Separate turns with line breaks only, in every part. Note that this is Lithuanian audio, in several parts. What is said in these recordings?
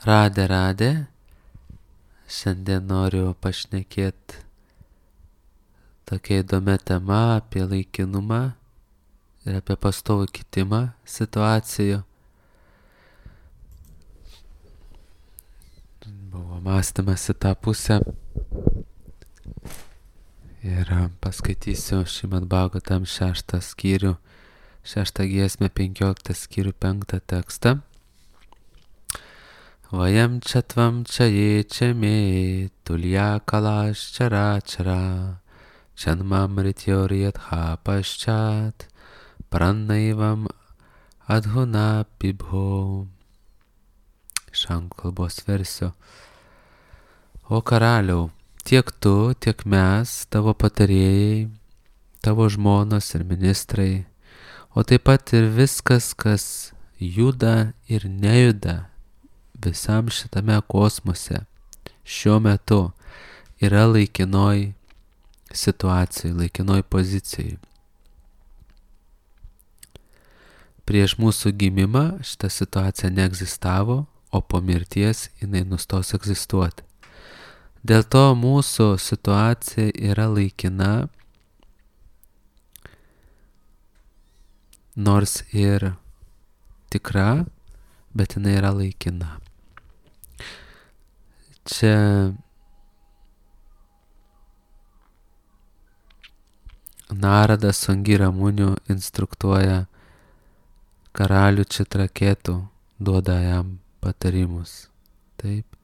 Radė. Šiandien noriu pašnekėti tokia įdomia tema apie laikinumą ir apie pastovų kitimą situacijų. Buvo mąstymas į tą pusę ir paskaitysiu Šrimad Bhagavatam 6 skyrių, 6 giesmę, 15 skyrių, 5 tekstą. Vayam čatvam čaye čeme tulya kalash chara chara chanmam rityoriyatha paschat pranaivam adhuna pibho. Iš anglų kalbos versijos. O karaliau, tiek tu, tiek mes, tavo patarėjai, tavo žmonos ir ministrai, o taip pat ir viskas, kas juda ir nejuda visam šitame kosmose šiuo metu yra laikinoj situacijai, laikinoj pozicijai. Prieš mūsų gimimą šita situacija neegzistavo, o po mirties jinai nustos egzistuoti. Dėl to mūsų situacija yra laikina, nors ir tikra, bet jinai yra laikina. Čia Naradas su Angira Muniu instruktuoja karalių Čitraketų, duoda jam patarimus. Taip.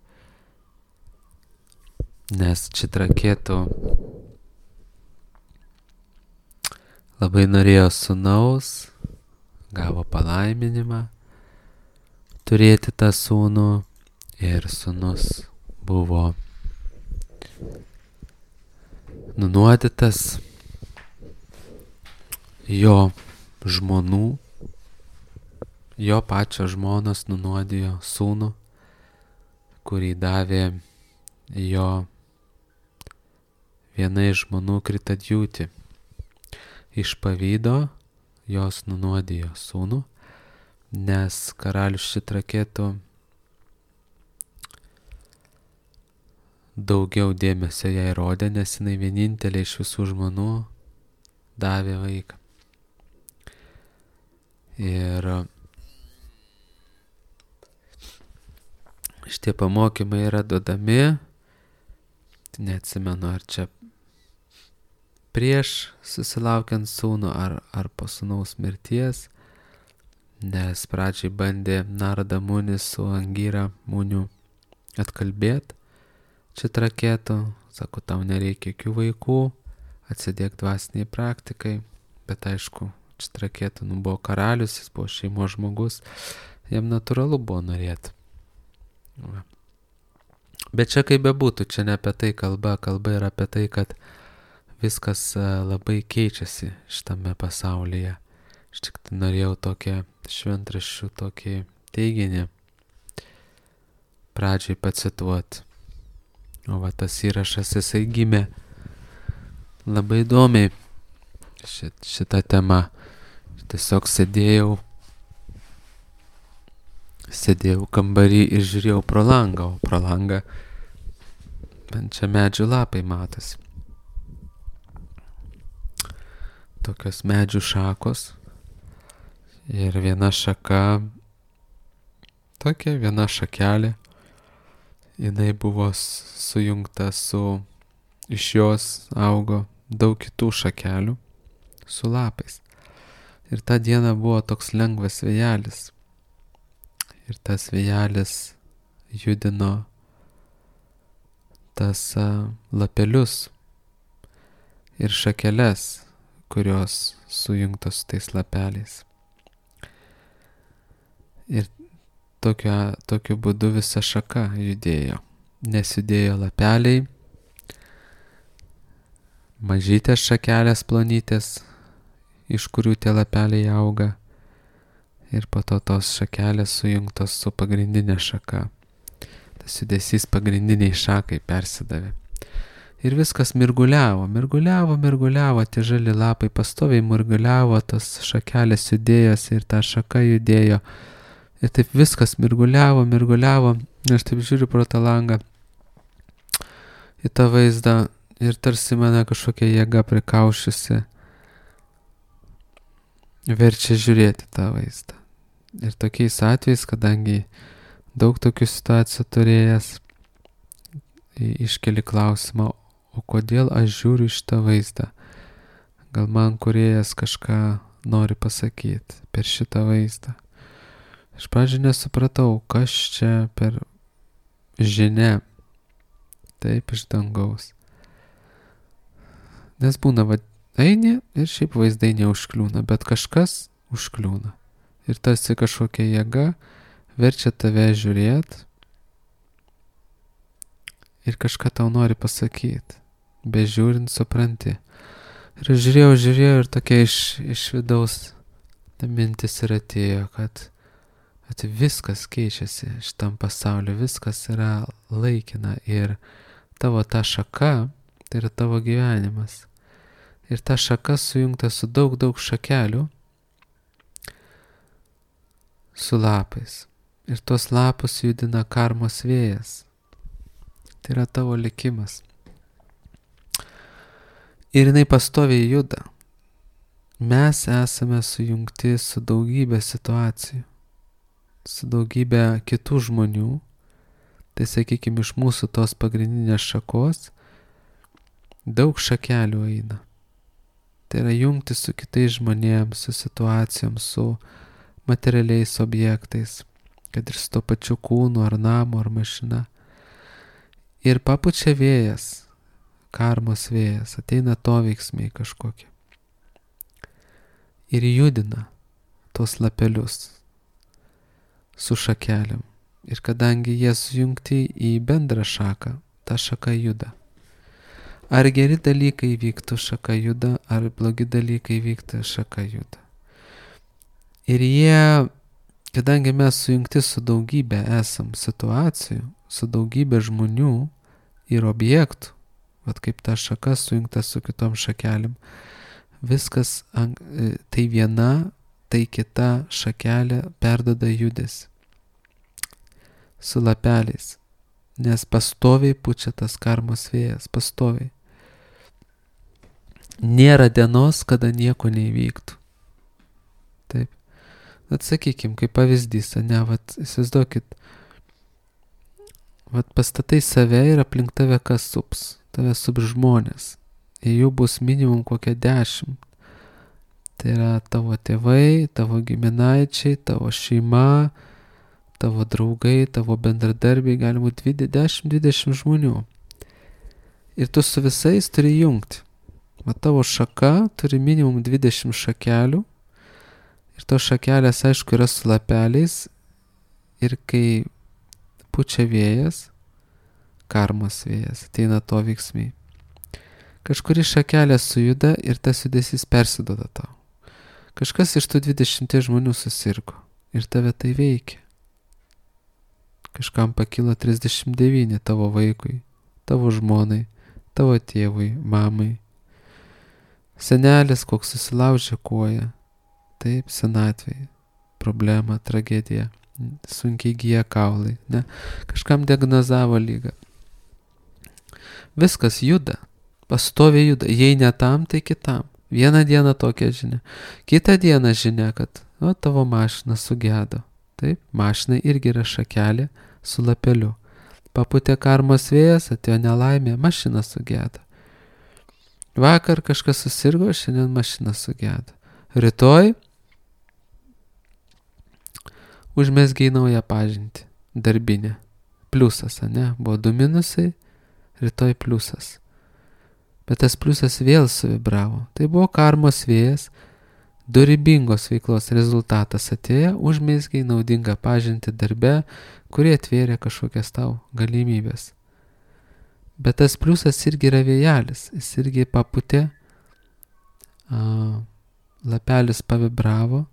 Nes Čitraketų labai norėjo sūnaus, gavo palaiminimą turėti tą sūnų ir sūnus buvo nunuodytas jo žmonų, jo pačio žmonos nunuodijo sūnų, kurį davė jo viena iš žmonų Kritadjūti. Iš pavydo jos nunuodijo sūnų, nes karalius Čitraketų daugiau dėmesio jai rodė, nes jinai vienintelė iš visų žmonų davė vaiką. Ir šitie pamokymai yra duodami, neatsimenu, ar čia prieš susilaukiant sūnų, ar po sūnaus mirties, nes pradžiai bandė Narada Munis su Angira Muniu atkalbėti Čitraketų, sako, tau nereikia jokių vaikų, atsidėk dvasiniai praktikai, bet aišku, Čitraketų buvo karalius, jis buvo šeimos žmogus, jam natūralu buvo norėti. Bet čia kaip bebūtų, čia ne apie tai kalba yra apie tai, kad viskas labai keičiasi šitame pasaulyje. Aš tik norėjau tokią šventraščių tokį teiginį pradžiai pacituoti. O va tas įrašas, jisai gimė labai įdomiai šitą temą. Tiesiog sėdėjau kambarį ir žiūrėjau pro langą, o pro langą man čia medžių lapai matosi. Tokios medžių šakos ir viena šaka, tokia viena šakelė, jinai buvo sujungta iš jos augo daug kitų šakelių su lapais. Ir tą dieną buvo toks lengvas vėjelis. Ir tas vėjelis judino tas lapelius ir šakeles, kurios sujungtos su tais lapeliais. Ir tokiu būdu visa šaka judėjo. Nes judėjo lapeliai, mažytės šakelės plonytės, iš kurių tie lapeliai auga, ir po to tos šakelės sujungtos su pagrindinė šaka. Tas judesys pagrindiniai šakai persidavė. Ir viskas mirguliavo, tie žali lapai pastoviai mirguliavo, tos šakelės judėjosi ir ta šaka judėjo. Ir taip viskas mirguliavo, Aš taip žiūriu pro tą langą į tą vaizdą ir tarsi mane kažkokia jėga prikaušiusi verčia žiūrėti tą vaizdą. Ir tokiais atvejais, kadangi daug tokių situacijų turėjęs, iškeli klausimą, o kodėl aš žiūriu šitą vaizdą? Gal man kūrėjas kažką nori pasakyti per šitą vaizdą? Iš pradžių nesupratau, kas čia per žinia, taip iš dangaus. Nes būna, eini ir šiaip vaizdai neužkliūna, bet kažkas užkliūna. Ir tarsi kažkokia jėga verčia tave žiūrėti ir kažką tau nori pasakyti. Bežiūrint supranti. Ir žiūrėjau ir tokia iš vidaus ta mintis ir atėjo, kad viskas keičiasi šitam pasauliu, viskas yra laikina ir tavo ta šaka, tai yra tavo gyvenimas. Ir ta šaka sujungta su daug šakelių, su lapais. Ir tos lapus judina karmos vėjas. Tai yra tavo likimas. Ir jinai pastoviai juda. Mes esame sujungti su daugybė situacijų, su daugybė kitų žmonių. Tai sakykime, iš mūsų tos pagrindinės šakos daug šakelių eina. Tai yra jungti su kitais žmonėms, su situacijom, su materialiais objektais, kad ir su to pačiu kūnu, ar namu, ar mašina. Ir papučia vėjas, karmos vėjas, ateina to veiksmai kažkokie. Ir judina tos lapelius su šakeliam. Ir kadangi jie sujungti į bendrą šaką, ta šaka juda. Ar geri dalykai vyktų, šaka juda, ar blogi dalykai vyktų, šaka juda. Ir jie, kadangi mes sujungti su daugybė esam situacijų, su daugybė žmonių ir objektų, vat kaip ta šaka sujungta su kitom šakelėm, viskas, tai viena, tai kita šakelė perduoda judesį su lapeliais, nes pastoviai pučia tas karmos vėjas, pastoviai. Nėra dienos, kada nieko neįvyktų. Taip. Atsakykim, kaip pavyzdys, įsivaizduokit, pastatai save ir aplink tave kas sups, tave sups žmonės. Ir jų bus minimum kokia 10. Tai yra tavo tėvai, tavo giminaičiai, tavo šeima, tavo draugai, tavo bendradarbiai, gali būti 10-20 žmonių. Ir tu su visais turi jungti. Tavo šaka turi minimum 20 šakelių. Ir tos šakelės, aišku, yra su lapeliais. Ir kai pučia vėjas, karmos vėjas, ateina to veiksmai. Kažkuri šakelė sujuda ir tas judesys persiduoda tau. Kažkas iš tų 20 žmonių susirgo ir tave tai veikia. Kažkam pakilo 39 tavo vaikui, tavo žmonai, tavo tėvui, mamai. Senelis koks susilaužė koją, taip, senatvėje, problema, tragedija, sunkiai gyja kaulai, ne? Kažkam diagnozavo lygą. Viskas juda, pastoviai juda, jei ne tam, tai kitam. Vieną dieną tokia žinia, kitą dieną žinia, kad tavo mašina sugedo. Taip, mašinai irgi yra šakelė su lapeliu. Paputė karmos vėjas, atėjo nelaimė, mašina sugedo. Vakar kažkas susirgo, šiandien mašina sugedo. Rytoj užmezgei naują pažintį, darbinę. Pliusas, ne? Buvo 2 minusai, rytoj pliusas. Bet tas pliusas vėl suvibravo. Tai buvo karmos vėjas, dorybingos veiklos rezultatas atėjo, užmezgei naudingą pažintį darbe, kurie atvėrė kažkokias tau galimybės. Bet tas pliusas irgi yra vėjelis, jis irgi paputė, lapelis pavibravo,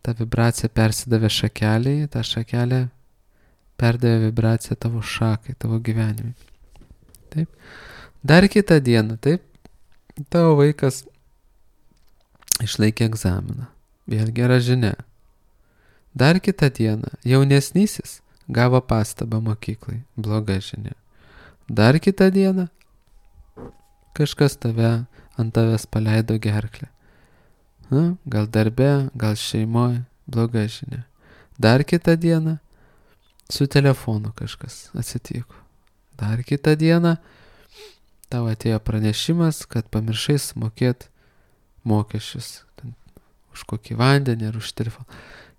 ta vibracija persidavė šakeliai, ta šakelė perdavė vibraciją tavo šakai, tavo gyvenimui. Taip. Dar kitą dieną, taip, tavo vaikas išlaikė egzaminą. Vėl gera žinia. Dar kitą dieną jaunesnysis gavo pastabą mokyklai, bloga žinia. Dar kitą dieną kažkas ant tavęs paleido gerklę. Gal darbe, gal šeimoje, bloga žinia. Dar kitą dieną su telefonu kažkas atsitiko. Dar kitą dieną tau atėjo pranešimas, kad pamiršai sumokėti mokesčius už kokį vandenį ar už telefoną.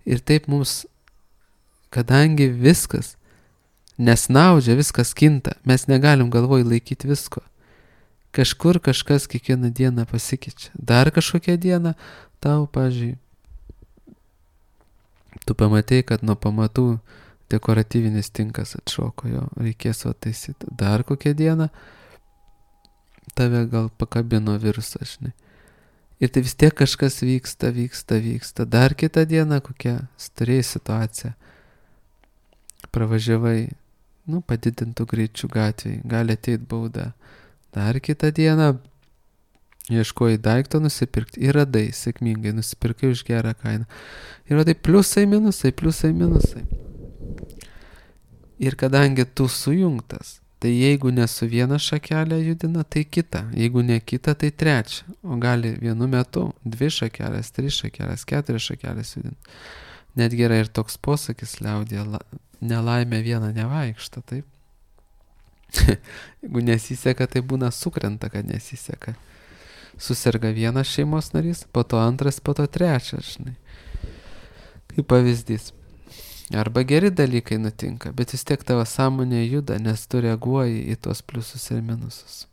Ir taip mums, kadangi viskas nesnaudžia, viskas kinta, mes negalim galvoj laikyti visko. Kažkur kažkas kiekvieną dieną pasikeičia. Dar kažkokią dieną tau, pavyzdžiui, tu pamatei, kad nuo pamatų dekoratyvinis tinkas atšoko, jo reikės taisyti. Dar kokią dieną tave gal pakabino virusą, žinai. Ir tai vis tiek kažkas vyksta. Dar kitą dieną kokia turėjai situacija. Pravažiavai, padidintų greičių gatvėj, gali ateit bauda. Dar kitą dieną ieškojai daikto nusipirkti ir radai sėkmingai, nusipirkai už gerą kainą. Ir tai pliusai, minusai. Ir kadangi tu sujungtas, tai jeigu ne su viena šakelė judina, tai kita. Jeigu ne kita, tai trečia. O gali vienu metu 2 šakelės, 3 šakelės, 4 šakelės judinti. Netgi yra ir toks posakis liaudyje, nelaimė viena nevaikšta, taip? Jeigu nesiseka, tai būna sukrenta, kad nesiseka. Suserga vienas šeimos narys, po to antras, po to trečias, žinai. Kaip pavyzdys. Arba geri dalykai nutinka, bet vis tiek tavo sąmonė juda, nes tu reaguoji į tuos pliusus ir minusus.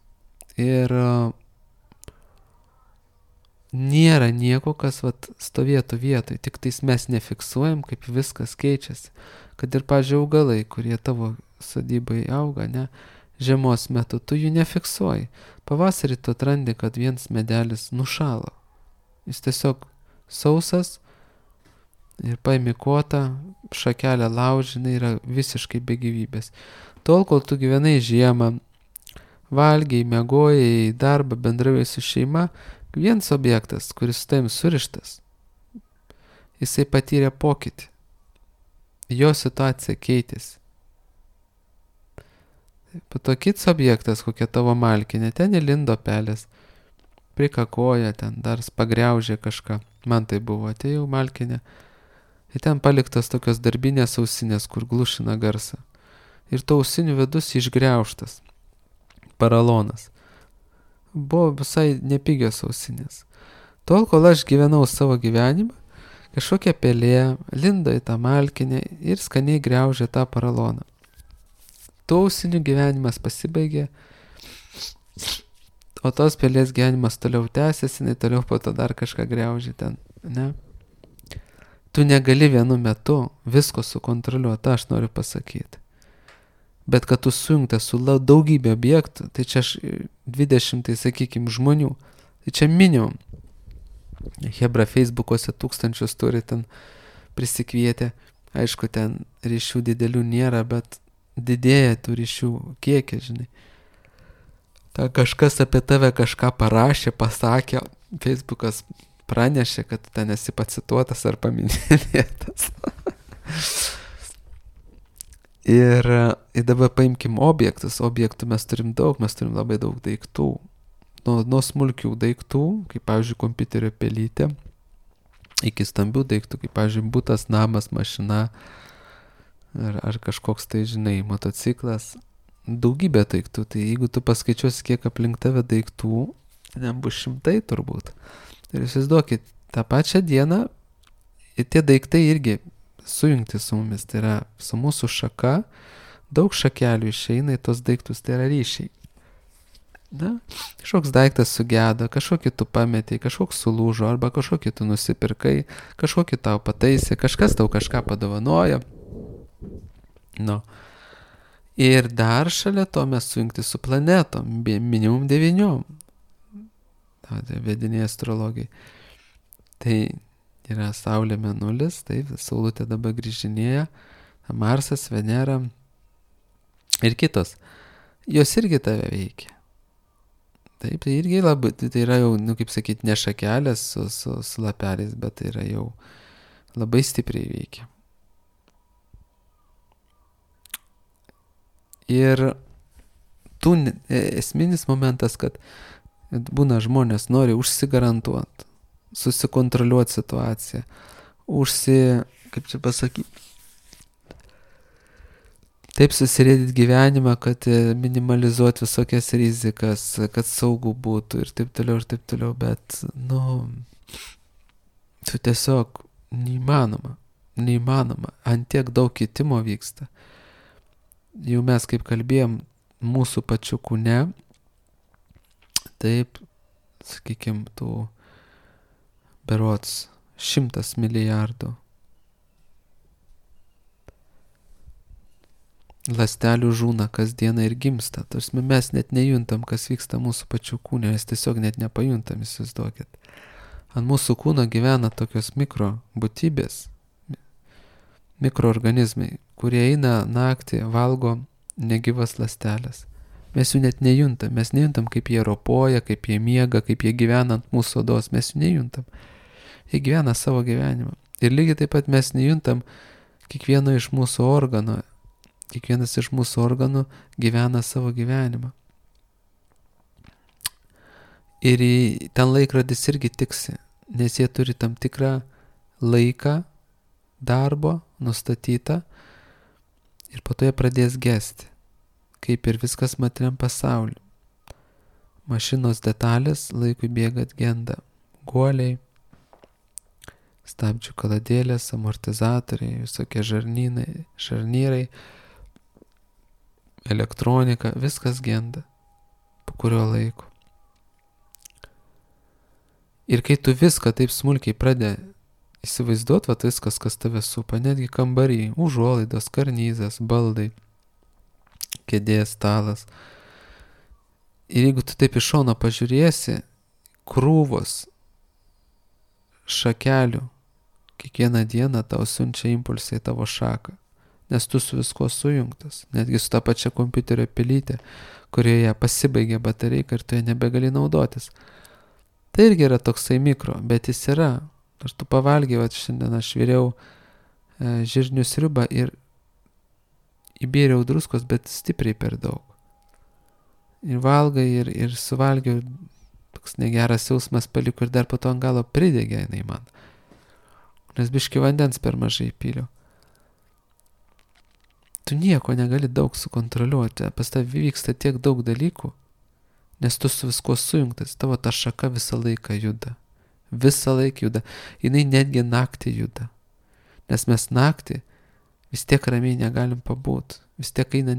Ir nėra nieko, kas stovėtų vietoj, tik tais mes nefiksuojam, kaip viskas keičiasi. Kad ir, pavyzdžiui, augalai, kurie tavo sodybai auga, ne, žiemos metu, tu jų nefiksuoji. Pavasarį tu atrandi, kad vienas medelis nušalo. Jis tiesiog sausas ir paimi kotą, šakelę laužinai, yra visiškai be gyvybės. Tol, kol tu gyvenai žiemą, valgiai, miegojai, darbą, bendravai su šeima, vienas objektas, kuris su tavim surištas, jisai patyrė pokytį. Jo situacija keitėsi. Po to kits objektas, kokia tavo malkinė, ten įlindo pelės, prikakoja, ten dar pagriaužė kažką. Man tai buvo, atėjau malkinė. Ir ten paliktas tokios darbinės ausinės, kur glušina garsą. Ir to ausinių vidus išgriaužtas. Paralonas. Buvo visai nepigios ausinės. Tol, kol aš gyvenau savo gyvenimą, kažkokia pelė lindo į tą malkinę ir skaniai griaužė tą paraloną. Tų ausinių gyvenimas pasibaigė, o tos pelės gyvenimas toliau tęsiasi, jinai toliau po to dar kažką griaužė ten, ne? Tu negali vienu metu visko sukontroliuoti, aš noriu pasakyti. Bet kad tu sujungtas su daugybė objektų, tai čia 20, sakykime, žmonių, tai čia minimum. Hebra Facebook'ose 1000 turi ten prisikvietę, aišku, ten ryšių didelių nėra, bet didėja tų ryšių kiekį, žinai. Ta kažkas apie tave kažką parašė, pasakė, Facebookas pranešė, kad ten esi pacituotas ar paminėtas. Ir dabar paimkim objektus. Objektų mes turim daug, mes turim labai daug daiktų. Nuo smulkių daiktų, kaip pavyzdžiui kompiuterio pelytė, iki stambių daiktų, kaip pavyzdžiui butas, namas, mašina, ar kažkoks tai, žinai, motociklas. Daugybė daiktų. Tai jeigu tu paskaičiuosi, kiek aplink tave daiktų, ten bus 100 turbūt. Ir įsivaizduokit, tą pačią dieną tie daiktai irgi sujungti su mumis. Tai yra su mūsų šaka, daug šakelių išeina į tos daiktus, tai yra ryšiai. Na, kažkoks daiktas sugedo, kažkokį tu pametei, kažkoks sulūžo, arba kažkokį tu nusipirkai, kažkokį tau pataisė, kažkas tau kažką padovanojo. Nu. Ir dar šalia to mes sujungti su planetom, minimum 9. Tai vediniai astrologai. Tai yra Saulė Mėnulis, taip, Saulutė dabar grįžinėja, Marsas, Venera ir kitos. Jos irgi tave veikia. Taip, tai irgi labai, tai yra jau, kaip sakyti, ne šakelės su lapeliais, bet tai yra jau labai stipriai veikia. Ir esminis momentas, kad būna žmonės nori užsigarantuoti, susikontroliuoti situaciją, kaip čia pasakyti, taip susirėdyti gyvenimą, kad minimalizuoti visokias rizikas, kad saugu būtų ir taip toliau, bet, tu tiesiog neįmanoma, ant tiek daug kitimo vyksta. Jau mes kaip kalbėjom, mūsų pačių kūne, taip, sakykim, tų berods 100 milijardų ląstelių žūna kasdieną ir gimsta. Tarsi mes net nejuntam, kas vyksta mūsų pačių kūne, mes tiesiog net nepajuntam, įsivaizduokit. Ant mūsų kūno gyvena tokios mikrobūtybės, mikroorganizmai, kurie eina naktį, valgo negyvas ląstelės. Mes jų net nejuntam, mes nejuntam, kaip jie ropoja, kaip jie miega, kaip jie gyvena ant mūsų odos, mes jų nejuntam. Jie gyvena savo gyvenimą. Ir lygiai taip pat mes nejuntam kiekvieno iš mūsų organų. Kiekvienas iš mūsų organų gyvena savo gyvenimą. Ir ten laikrodis irgi tiksi, nes jie turi tam tikrą laiką darbo nustatytą ir po to jie pradės gesti, kaip ir viskas materiam pasauliu. Mašinos detalės laikui bėgant genda. Guoliai, stabdžių kaladėlės, amortizatoriai, visokie žarnyrai, elektronika, viskas genda po kurio laiko. Ir kai tu viską taip smulkiai pradedi įsivaizduoti, viskas, kas tave supa, netgi kambarį, užuolaidos, karnyzas, baldai, kėdės, stalas. Ir jeigu tu taip iš šono pažiūrėsi, krūvos šakelių kiekvieną dieną tau siunčia impulsą į tavo šaką, nes tu su viskuo sujungtas, netgi su ta pačia kompiuterio pelytė, kurioje pasibaigia baterija ir tu ją nebegali naudotis. Tai irgi yra toksai mikro, bet jis yra. Aš tu pavalgiai, šiandien aš viriau žirnių sriubą ir įbėriau druskos, bet stipriai per daug. Ir valgai ir suvalgiau, toks negeras jausmas paliko ir dar po to ant galo pridegė jinai man. Nes biški vandens per mažai pyliau. Tu nieko negali daug sukontroliuoti, pas tavį vyksta tiek daug dalykų, nes tu su viskuo sujungtas, tavo ta šaka visą laiką juda. Visą laiką juda. Jinai netgi naktį juda. Nes mes naktį vis tiek ramiai negalim pabūt. Vis tiek eina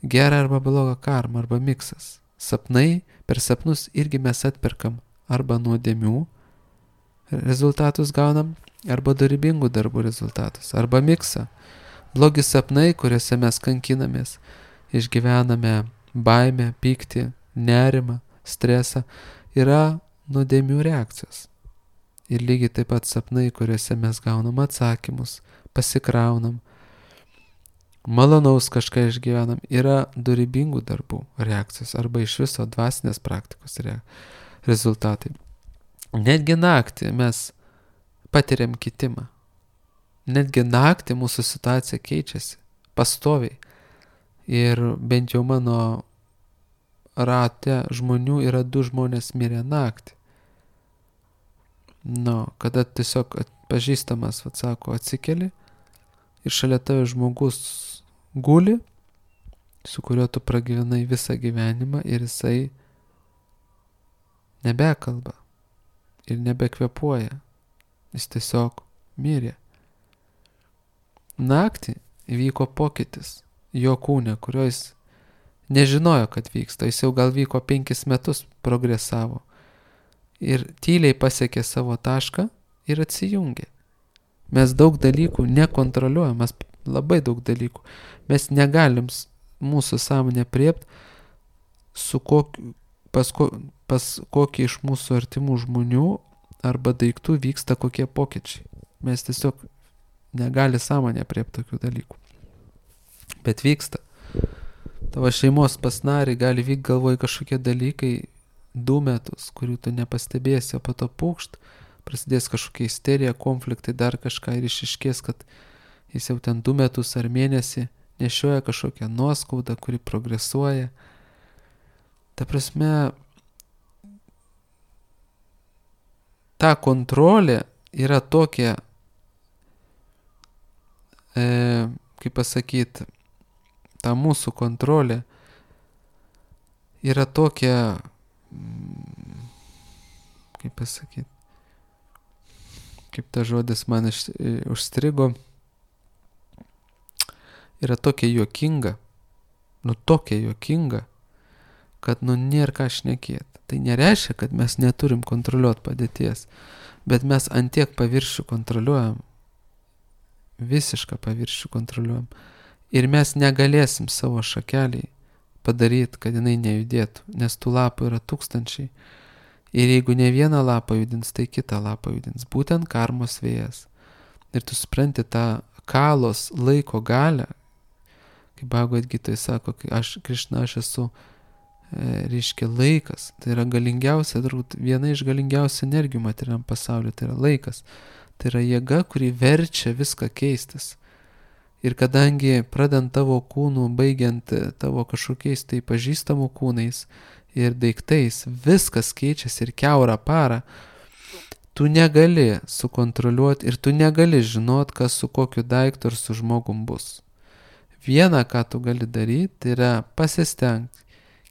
gera arba bloga karma, arba miksas. Sapnai, per sapnus irgi mes atperkam arba nuodėmių rezultatus gaunam, arba dorybingų darbų rezultatus, arba miksą. Blogi sapnai, kuriuose mes kankinamės, išgyvename baimę, pyktį, nerimą, stresą, yra nuodėmių reakcijos. Ir lygiai taip pat sapnai, kuriuose mes gaunam atsakymus, pasikraunam, malonaus kažką išgyvenam, yra dorybingų darbų reakcijos arba iš viso dvasinės praktikos rezultatai. Netgi naktį mes patiriam kitimą. Netgi naktį mūsų situacija keičiasi pastoviai. Ir bent jau mano rate žmonių yra 2 žmonės mirę naktį. Kada tiesiog pažįstamas, sako, atsikeli ir šalia tave žmogus guli, su kuriuo tu pragyvenai visą gyvenimą ir jisai nebekalba ir nebekvepuoja. Jis tiesiog mirė. Naktį įvyko pokytis jo kūne, kurio jis nežinojo, kad vyksta. Jis jau gal vyko 5 metus, progresavo. Ir tyliai pasiekė savo tašką ir atsijungė. Mes daug dalykų nekontroliuojam, mes labai daug dalykų. Mes negalim mūsų sąmonę priept, pas kokį iš mūsų artimų žmonių arba daiktų vyksta kokie pokyčiai. Mes tiesiog negali sąmonę priept tokių dalykų. Bet vyksta. Tavo šeimos pas narį gali vykti galvoj kažkokie dalykai 2 metus, kurių tu nepastebėsi, o po to pūkšt, prasidės kažkokia isterija, konfliktai, dar kažką ir išiškės, kad jis jau ten 2 metus ar mėnesį nešioja kažkokią nuoskaudą, kuri progresuoja. Ta prasme, ta kontrolė yra tokia, kaip pasakyti, ta mūsų kontrolė yra tokia, kaip pasakyti, kaip ta žodis man užstrigo, yra tokia juokinga, kad nėra ką šnekėti. Tai nereiškia, kad mes neturim kontroliuoti padėties, bet mes antiek paviršių kontroliuojam, visišką paviršių kontroliuojam. Ir mes negalėsim savo šakeliai padaryti, kad jinai nejudėtų, nes tų lapų yra tūkstančiai. Ir jeigu ne vieną lapą judins, tai kitą lapą judins. Būtent karmos vėjas. Ir tu supranti tą kalos laiko galią, kaip Bhagavad Gitoj sako, Krišna, aš esu, reiškia laikas. Tai yra galingiausia, viena iš galingiausių energijų materialiam pasauliu, tai yra laikas. Tai yra jėga, kuri verčia viską keistis. Ir kadangi pradant tavo kūnų, baigiant tavo kažkokiais tai pažįstamų kūnais ir daiktais, viskas keičiasi ir kiaurą parą, tu negali sukontroliuoti ir tu negali žinot, kas su kokiu daiktu ir su žmogum bus. Viena, ką tu gali daryti, tai yra pasistengti,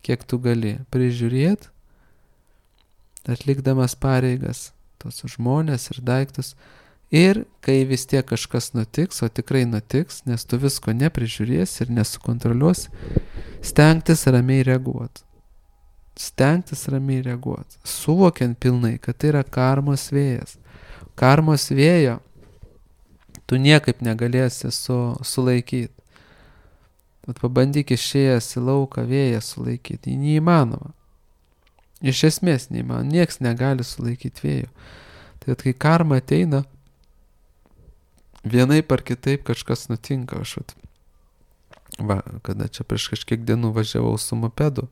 kiek tu gali prižiūrėti, atlikdamas pareigas, tos žmonės ir daiktus. Ir kai vis tiek kažkas nutiks, o tikrai nutiks, nes tu visko neprižiūrėsi ir nesukontroliuosi, stengtis ramiai reaguoti. Suvokiant pilnai, kad tai yra karmos vėjas. Karmos vėjo tu niekaip negalėsi sulaikyti. Bet pabandyk išėjęs į lauką vėją sulaikyti. Neįmanoma. Iš esmės neįmanoma. Nieks negali sulaikyti vėjo. Tai kai karma ateina, vienaip ar kitaip kažkas nutinka. Kada čia prieš kažkiek dienų važiavau su mopedu.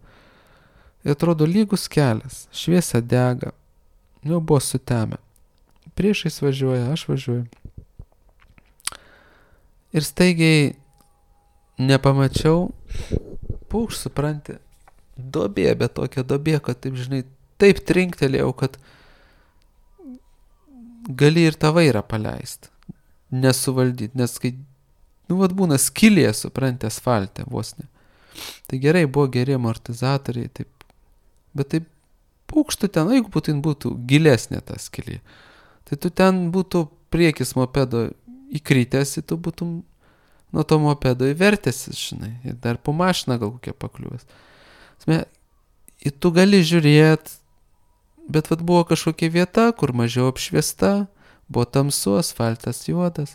Ir atrodo lygus kelias. Šviesa dega. Jau buvo sutemę. Priešais važiuoja, aš važiuoju. Ir staigiai nepamačiau, supranti, duobė, bet tokia duobė, kad taip, žinai, taip trinktelėjau, kad gali ir tą vairą paleisti, nesuvaldyti, nes kai, būna skylė, supranti, asfalte vos ne. Tai gerai, buvo geri amortizatoriai, taip, bet taip pūkštų ten, jeigu būtų gilesnė ta skylė, tai tu ten būtų priekis mopedo įkritęs, tu būtum nuo to mopedo įvertęsis, žinai, ir dar po mašiną gal kokia pakliuvęs. Ir tu gali žiūrėti, bet buvo kažkokia vieta, kur mažiau apšviesta, buvo tamsu, asfaltas juodas.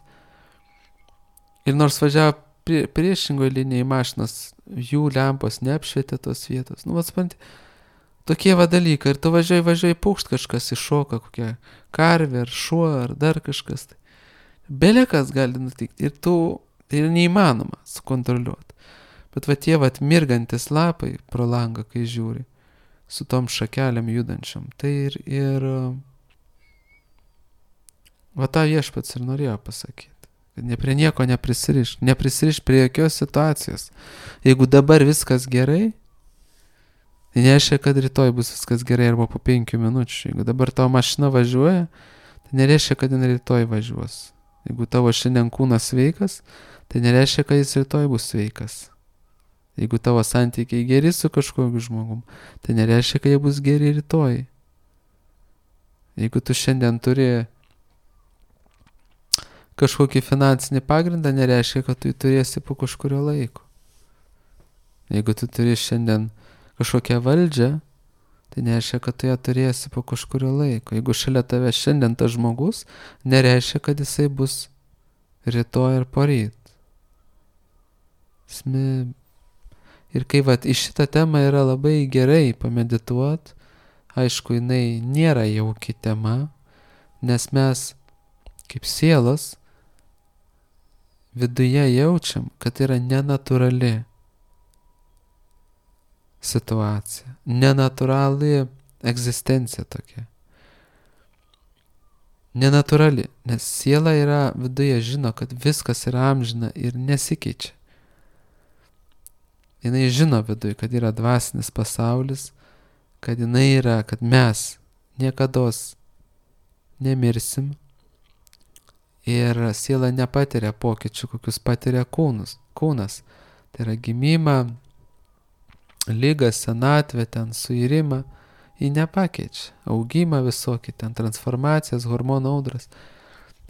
Ir nors važiavo priešingoje linijai mašinas, jų lempos neapšvietė tos vietos. Supranti, tokie dalykai. Ir tu važiuoji pūkšt, kažkas iššoka, kokia karvė, ar šuo, ar dar kažkas. Belekas gali nutikti. Ir tai yra neįmanoma sukontroliuoti. Bet tie mirgantis lapai pro langą, kai žiūri, su tom šakelėm judančiam, tai ir tą viešpats ir norėjo pasakyti. Kad prie nieko neprisiriš prie jokios situacijos. Jeigu dabar viskas gerai, tai nereiškia, kad rytoj bus viskas gerai arba po 5 minučių. Jeigu dabar tavo mašina važiuoja, tai nereiškia, kad jin rytoj važiuos. Jeigu tavo šiandien kūnas sveikas, tai nereiškia, kad jis rytoj bus sveikas. Jeigu tavo santykiai geri su kažkokiu žmogum, tai nereiškia, kad jie bus geri rytoj. Jeigu tu šiandien turi kažkokį finansinį pagrindą, nereiškia, kad tu jį turėsi po kažkurio laiko. Jeigu tu turi šiandien kažkokią valdžią, tai nereiškia, kad tu ją turėsi po kažkurio laiko. Jeigu šalia tave šiandien tas žmogus, nereiškia, kad jisai bus rytoj ir poryt. Ir kai į šitą temą yra labai gerai pamedituot, aišku, jinai nėra jauki tema, nes mes kaip sielos viduje jaučiam, kad yra nenatūrali situacija, nenatūrali egzistencija tokia. Nenatūrali, nes siela yra viduje žino, kad viskas yra amžina ir nesikeičia. jinai žino viduj, kad yra dvasinis pasaulis, kad jinai yra, kad mes niekados nemirsim ir siela nepatiria pokyčių, kokius patiria kūnas. Tai yra gimimą, lygą, senatvę, ten suirimą, jį nepakeičia. Augimą visokį, ten transformacijas, hormonų audras.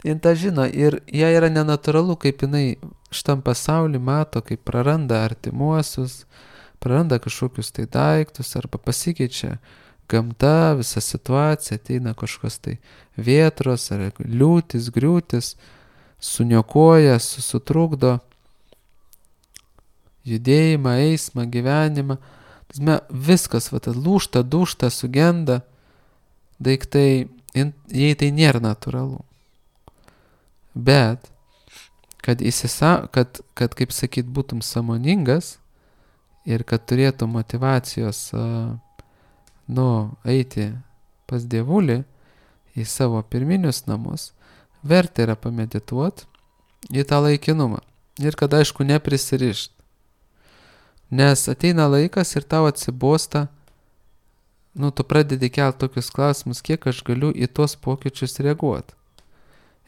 Jin tą žino ir jai yra nenatūralu, kaip jinai šitam pasaulį mato, kaip praranda artimuosius, praranda kažkokius tai daiktus arba pasikeičia gamta, visa situacija, ateina kažkokios tai vėtros ar liūtis, griūtis, suniokoja, sutrukdo judėjimą, eismą, gyvenimą. Viskas, lūžta, dūžta, sugenda daiktai, jei tai nėra natūralu. Bet, kad kaip sakyt, būtum sąmoningas ir kad turėtum motyvacijos, eiti pas Dievulį į savo pirminius namus, verta yra pamedituot į tą laikinumą. Ir kad, aišku, neprisirišt. Nes ateina laikas ir tau atsibosta, tu pradedi kelti tokius klausimus, kiek aš galiu į tuos pokyčius reaguoti.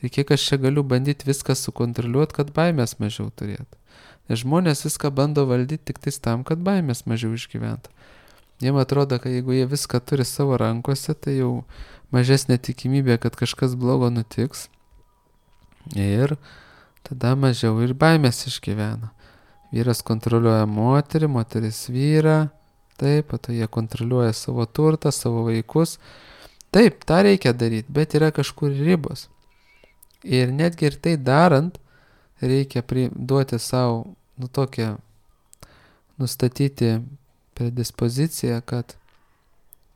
Ir kiek aš čia galiu bandyti viską sukontroliuoti, kad baimės mažiau turėtų. Nes žmonės viską bando valdyti tik tais tam, kad baimės mažiau išgyventų. Jiem atrodo, kad jeigu jie viską turi savo rankose, tai jau mažesnė tikimybė, kad kažkas blogo nutiks. Ir tada mažiau ir baimės išgyvena. Vyras kontroliuoja moterį, moteris vyrą, taip, po to jie kontroliuoja savo turtą, savo vaikus. Taip, tą reikia daryti, bet yra kažkur ribos. Ir netgi ir tai darant, reikia duoti savo, tokią, nustatyti predispoziciją, kad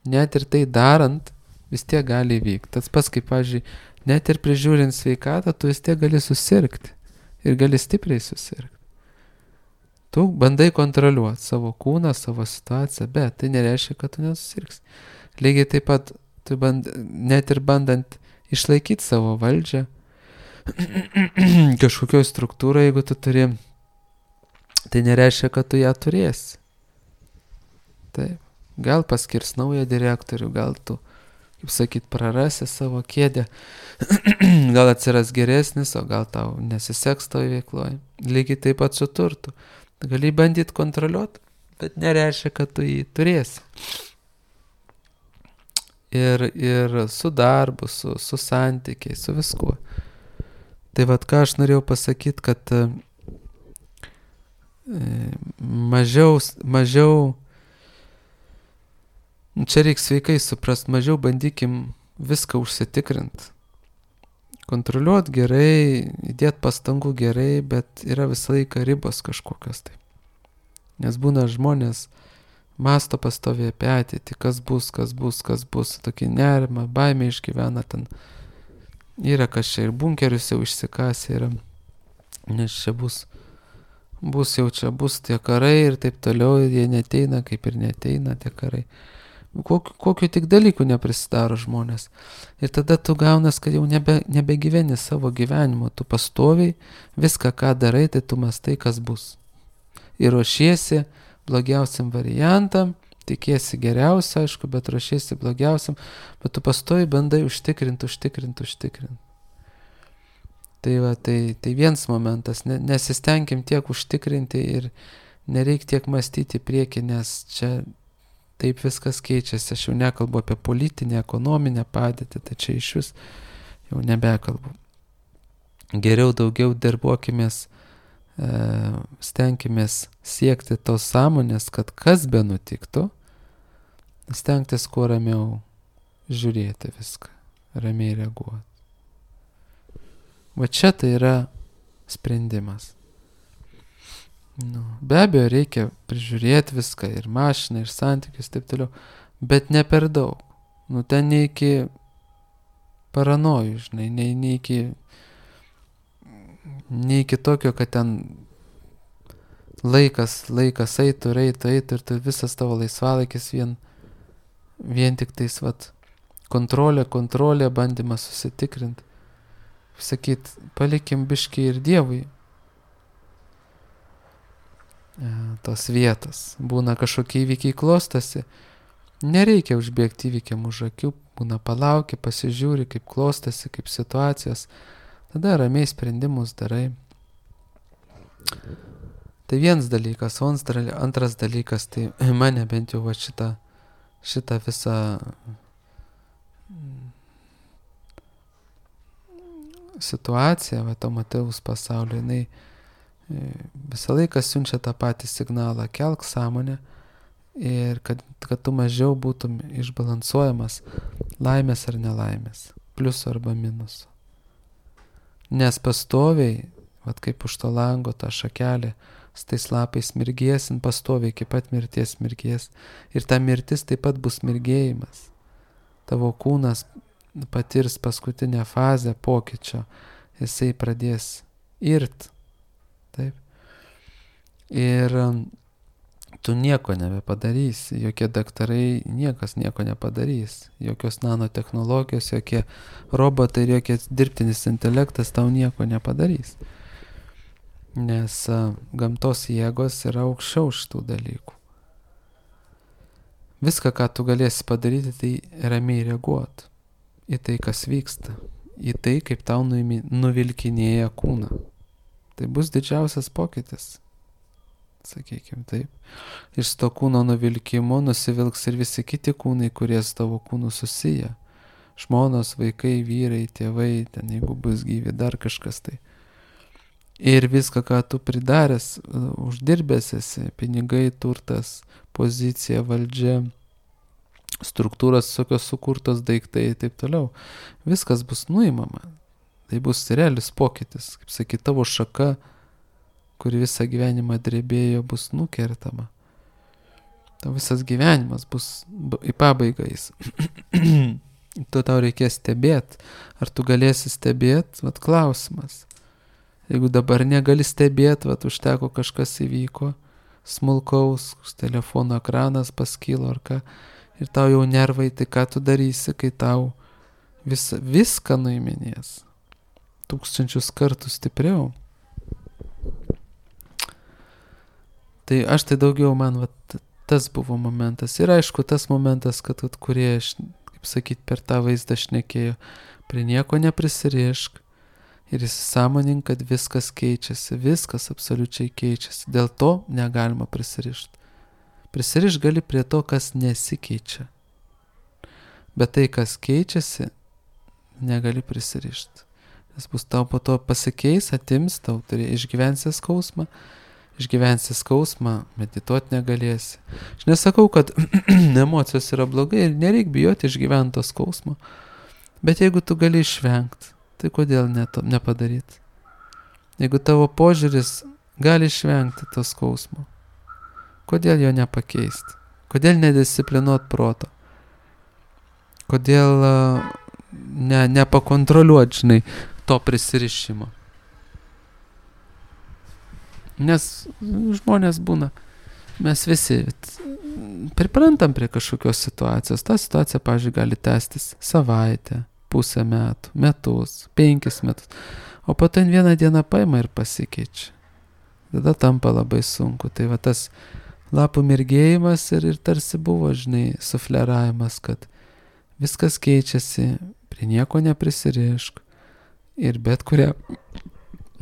net ir tai darant, vis tiek gali vykti. Tas pats, kaip, pavyzdžiui, net ir prižiūrint sveikatą, tu vis tiek gali susirgti. Ir gali stipriai susirgti. Tu bandai kontroliuoti savo kūną, savo situaciją, bet tai nereiškia, kad tu nesusirgsi. Lygiai taip pat, net ir bandant išlaikyti savo valdžią, kažkokioj struktūroje, jeigu tu turi, tai nereiškia, kad tu ją turėsi. Taip, gal paskirs naują direktorių, gal tu, kaip sakyt, prarasi savo kėdę, gal atsiras geresnis, o gal tau nesiseks toj veikloj. Lygiai taip pat su turtu. Gali bandyti kontroliuoti, bet nereiškia, kad tu jį turėsi. Ir su darbu, su santykiai, su viskuo. Tai ką aš norėjau pasakyti, kad mažiau, čia reikia sveikai suprast, mažiau bandykim viską užsitikrinti. Kontroliuoti gerai, įdėti pastangų gerai, bet yra visą laiką ribos kažkokios tai. Nes būna žmonės masto pastoviai apie ateitį, kas bus, tokį nerimą, baimę išgyvena ten. Yra kas čia ir bunkerius jau išsikasė yra, nes čia bus tie karai ir taip toliau, ir jie neteina, kaip ir neteina tie karai. Kokiu tik dalykų neprisidaro žmonės. Ir tada tu gaunas, kad jau nebegyveni savo gyvenimo, tu pastoviai viską, ką darai, tai tu mastai, kas bus. Ir ruošiesi blogiausiam variantam, tikėsi geriausia, aišku, bet ruošiesi blogiausiam, bet tu pastoviai bandai užtikrinti. Tai vienas momentas, nesistengim tiek užtikrinti ir nereik tiek mąstyti prieki, nes čia taip viskas keičiasi. Aš jau nekalbu apie politinę, ekonominę padėtį, tai čia iš vis jau nebekalbu. Geriau daugiau darbuokimės, stenkimės siekti tos sąmonės, kad kas be nutiktų, stengtis kuo ramiau žiūrėti viską, ramiai reaguoti. Va čia tai yra sprendimas. Be abejo, reikia prižiūrėti viską, ir mašiną, ir santykius, taip toliau, bet ne per daug. Ten ne iki paranojų, žinai, ne iki tokio, kad ten laikas eitų ir visas tavo laisvalaikis vien tik tais, kontrolė, bandymas susitikrinti. Sakyt, palikim biškį ir Dievui tos vietos. Būna kažkokie įvykiai klostosi, nereikia užbėgti įvykiam už akių, būna palauki, pasižiūri, kaip klostosi, kaip situacijos, tada ramiai sprendimus darai. Tai vienas dalykas, o antras dalykas, tai mane bent jau va šitą visą situaciją, va to Matėjaus pasaulio, jinai visą laiką siunčia tą patį signalą, kelk sąmonę ir kad tu mažiau būtum išbalansuojamas laimės ar nelaimės, pliusų arba minusų. Nes pastoviai, vat kaip už to lango tą šakelę, su tais lapais mirgėsin, pastoviai iki pat mirties mirgės. Ir ta mirtis taip pat bus mirgėjimas. Tavo kūnas patirs paskutinę fazę pokyčio, jisai pradės irt. Taip. Ir tu nieko nebepadarysi, jokie daktarai, niekas nieko nepadarys, jokios nanotechnologijos, jokie robotai ir jokie dirbtinis intelektas tau nieko nepadarys. Nes gamtos jėgos yra aukščiau šitų dalykų. Viską, ką tu galėsi padaryti, tai ramiai reaguoti į tai, kas vyksta, į tai, kaip tau nuvilkinėja kūną. Tai bus didžiausias pokytis, sakykime taip. Iš to kūno nuvilkimo nusivilks ir visi kiti kūnai, kurie su tavo kūnu susiję. Žmonos, vaikai, vyrai, tėvai, ten jeigu bus gyvi, dar kažkas tai. Ir viską, ką tu pridaręs, uždirbęs esi, pinigai, turtas, pozicija, valdžia, struktūros tokios sukurtos daiktai ir taip toliau. Viskas bus nuimama. Tai bus realis pokytis. Kaip sakyt, tavo šaka, kuri visą gyvenimą drebėjo, bus nukertama. Tavo visas gyvenimas bus į pabaigą jis. Tu tau reikės stebėti. Ar tu galėsi stebėti? Vat klausimas. Jeigu dabar negali stebėti, vat užteko kažkas įvyko, smulkaus, telefono ekranas paskilo ar ką, ir tau jau nervai, tai ką tu darysi, kai tau viską nuiminės. 1000 kartų stipriau. Tai aš tai daugiau man tas buvo momentas. Ir aišku, tas momentas, kad kurie, kaip sakyt, per tą vaizdą šnekėjo, prie nieko neprisirišk. Ir įsisąmonink, kad viskas keičiasi, viskas absoliučiai keičiasi. Dėl to negalima prisirišti. Prisirišti gali prie to, kas nesikeičia. Bet tai, kas keičiasi, negali prisirišti. Nes bus tau po to pasikeis, atims, tau išgyvensi skausmą, medituoti negalėsi. Aš nesakau, kad emocijos yra blogai ir nereik bijoti išgyventi to skausmo. Bet jeigu tu gali išvengti, tai kodėl nepadaryti? Jeigu tavo požiūris gali išvengti to skausmo, kodėl jo nepakeisti? Kodėl nedisciplinuot proto? Kodėl nepakontroliuot, žinai, to prisirišimo? Nes žmonės būna, mes visi priprantam prie kažkokios situacijos. Ta situacija, pavyzdžiui, gali tęstis savaitę, pusę metų, metus, 5 metus. O po to vieną dieną paima ir pasikeičia. Tada tampa labai sunku. Tai va tas lapų mirgėjimas ir tarsi buvo, žinai, sufleravimas, kad viskas keičiasi, prie nieko neprisirišk. Ir bet kurią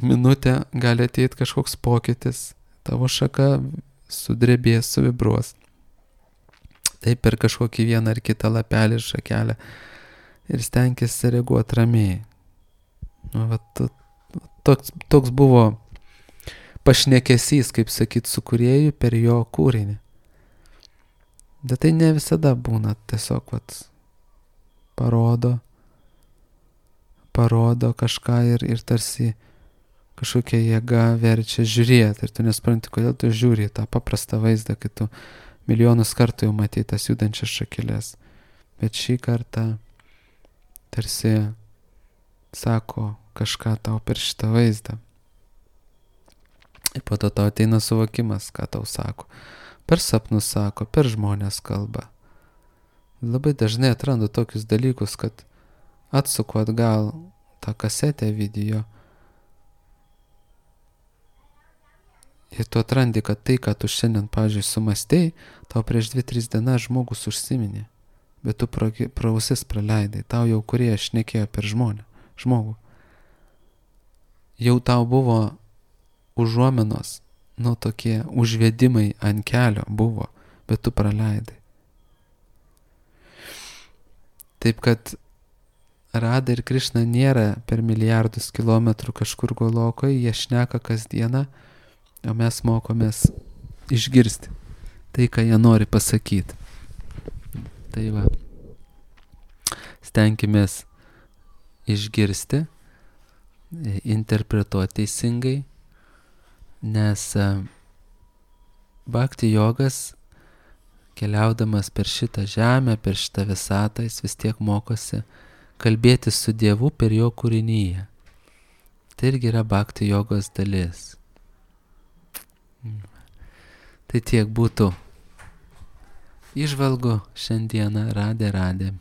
minutę gali ateiti kažkoks pokytis. Tavo šaka sudrebės, suvibruos. Taip per kažkokį vieną ar kitą lapelį ir šakelę. Ir stenkėsi reaguoti ramiai. Toks buvo pašnekesys, kaip sakyt, su kūrėju per jo kūrinį. Bet tai ne visada būna, tiesiog parodo kažką ir tarsi kažkokia jėga verčia žiūrėti. Ir tu nespranti, kodėl tu žiūri tą paprastą vaizdą, kai tu milijonus kartų jau matei tas judančias šakelės. Bet šį kartą tarsi sako kažką tau per šitą vaizdą. Ir po to tau ateina suvokimas, ką tau sako. Per sapnus sako, per žmonės kalba. Labai dažnai atrandu tokius dalykus, kad atsuku atgal tą kasetę video Ir tu atrandi, kad tai, ką tu šiandien, pavyzdžiui, sumastei, tau prieš 2-3 dienas žmogus užsiminė, bet tu pro ausis praleidai, tau jau kurie šnekėjo per žmogų. Jau tau buvo užuominos, tokie užvedimai ant kelio buvo, bet tu praleidai. Taip kad Rada ir Krišna nėra per milijardus kilometrų kažkur Golokoje, jie šneka kasdieną, o mes mokomės išgirsti tai, ką jie nori pasakyti. Tai va, stenkimės išgirsti, interpretuoti teisingai, nes bhakti jogas, keliaudamas per šitą žemę, per šitą visatą, jis vis tiek mokosi kalbėti su Dievu per jo kūrinyje. Tai irgi yra bhakti jogos dalis. Tai tiek būtų įžvalgų šiandieną. Radė.